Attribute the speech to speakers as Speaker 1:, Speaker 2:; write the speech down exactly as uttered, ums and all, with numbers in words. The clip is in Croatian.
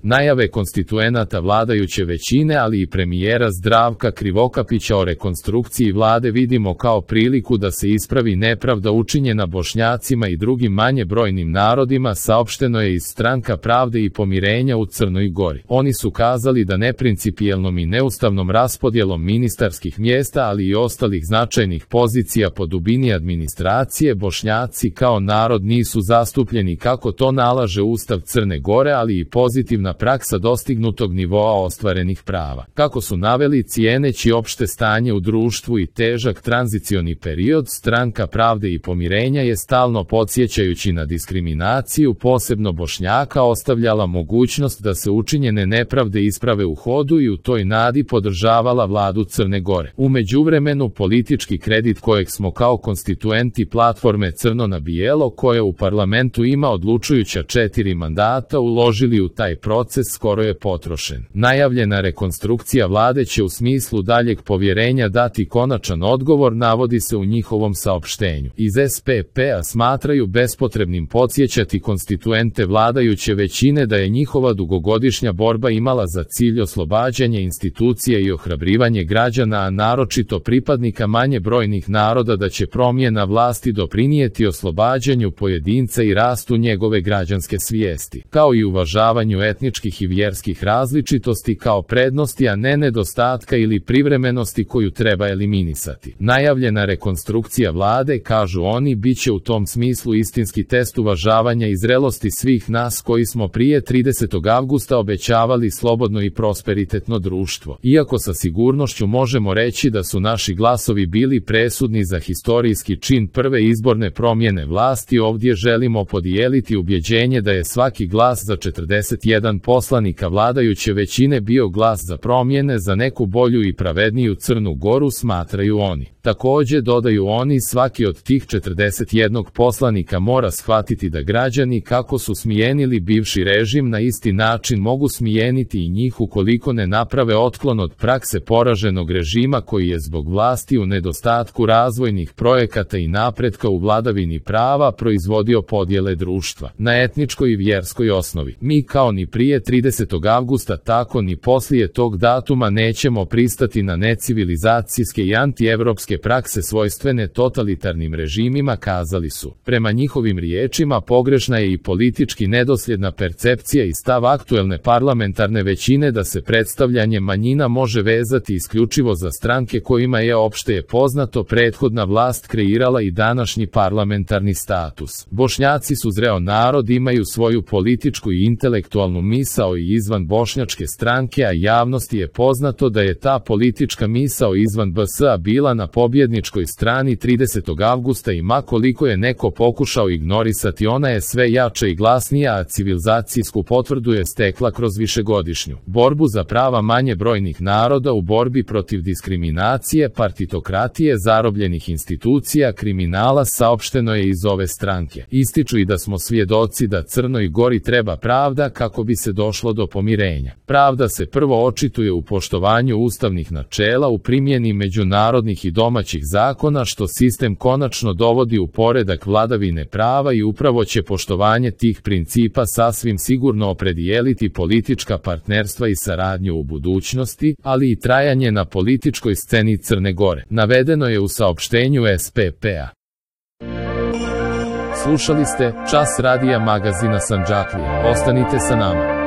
Speaker 1: Najave konstituenata vladajuće većine, ali i premijera Zdravka Krivokapića o rekonstrukciji vlade vidimo kao priliku da se ispravi nepravda učinjena Bošnjacima i drugim manje brojnim narodima, saopšteno je iz Stranka pravde i pomirenja u Crnoj Gori. Oni su kazali da neprincipijelnom i neustavnom raspodjelom ministarskih mjesta, ali i ostalih značajnih pozicija po dubini administracije, Bošnjaci kao narod nisu zastupljeni kako to nalaže Ustav Crne Gore, ali i pozitivna praksa dostignutog nivoa ostvarenih prava. Kako su naveli, cijeneći opšte stanje u društvu i težak tranzicioni period, Stranka pravde i pomirenja je stalno podsjećajući na diskriminaciju, posebno Bošnjaka, ostavljala mogućnost da se učinjene nepravde isprave u hodu i u toj nadi podržavala vladu Crne Gore. U međuvremenu, politički kredit kojeg smo kao konstituenti platforme Crno na bijelo, koja u parlamentu ima odlučujuća četiri mandata, uložili u taj proces, skoro je potrošen. Najavljena rekonstrukcija vlade će u smislu daljeg povjerenja dati konačan odgovor, navodi se u njihovom saopštenju. Iz S P P-a smatraju bespotrebnim podsjećati konstituente vladajuće većine da je njihova dugogodišnja borba imala za cilj oslobađanje institucija i ohrabrivanje građana, a naročito pripadnika manje brojnih naroda, da će promjena vlasti doprinijeti oslobađanju pojedinca i rastu njegove građanske svijesti, kao i uvažavanju etničkih i vjerskih različitosti kao prednosti, a ne nedostatka ili privremenosti koju treba eliminisati. Najavljena rekonstrukcija vlade, kažu oni, bit će u tom smislu istinski test uvažavanja i zrelosti svih nas koji smo prije tridesetog avgusta obećavali slobodno i prosperitetno društvo. Iako sa sigurnošću možemo reći da su naši glasovi bili presudni za historijski čin prve izborne promjene vlasti, ovdje želimo podijeliti ubjeđenje da je svaki glas za četrdeset jedan poslanika vladajuće većine bio glas za promjene, za neku bolju i pravedniju Crnu Goru, smatraju oni. Također, dodaju oni, svaki od tih četrdeset jednog poslanika mora shvatiti da građani, kako su smijenili bivši režim, na isti način mogu smijeniti i njih ukoliko ne naprave otklon od prakse poraženog režima koji je zbog vlasti u nedostatku razvojnih projekata i napretka u vladavini prava proizvodio podjele društva na etničkoj i vjerskoj osnovi. Mi kao ni prije tridesetog avgusta, tako ni poslije tog datuma nećemo pristati na necivilizacijske i antievropske prakse svojstvene totalitarnim režimima, kazali su. Prema njihovim riječima, pogrešna je i politički nedosljedna percepcija i stav aktuelne parlamentarne većine da se predstavljanje manjina može vezati isključivo za stranke kojima je, opšte je poznato, prethodna vlast kreirala i današnji parlamentarni status. Bošnjaci su zreo narod, imaju svoju političku i intelektualnu misao i izvan bošnjačke stranke, a javnosti je poznato da je ta politička misao izvan B S A bila na pobjedničkoj strani tridesetog avgusta i ma koliko je neko pokušao ignorisati, ona je sve jača i glasnija, a civilizacijsku potvrdu je stekla kroz višegodišnju borbu za prava manje brojnih naroda, u borbi protiv diskriminacije, partitokratije, zarobljenih institucija, kriminala, saopšteno je iz ove stranke. Ističu i da smo svjedoci da Crnoj Gori treba pravda kako bi se došlo do pomirenja. Pravda se prvo očituje u poštovanju ustavnih načela, u primjeni međunarodnih i domaćih zakona, što sistem konačno dovodi u poredak vladavine prava, i upravo će poštovanje tih principa sasvim sigurno opredijeliti politička partnerstva i saradnju u budućnosti, ali i trajanje na političkoj sceni Crne Gore, navedeno je u saopštenju S P P-a. Slušali ste Čas radija magazina Sandžaklija. Ostanite sa nama.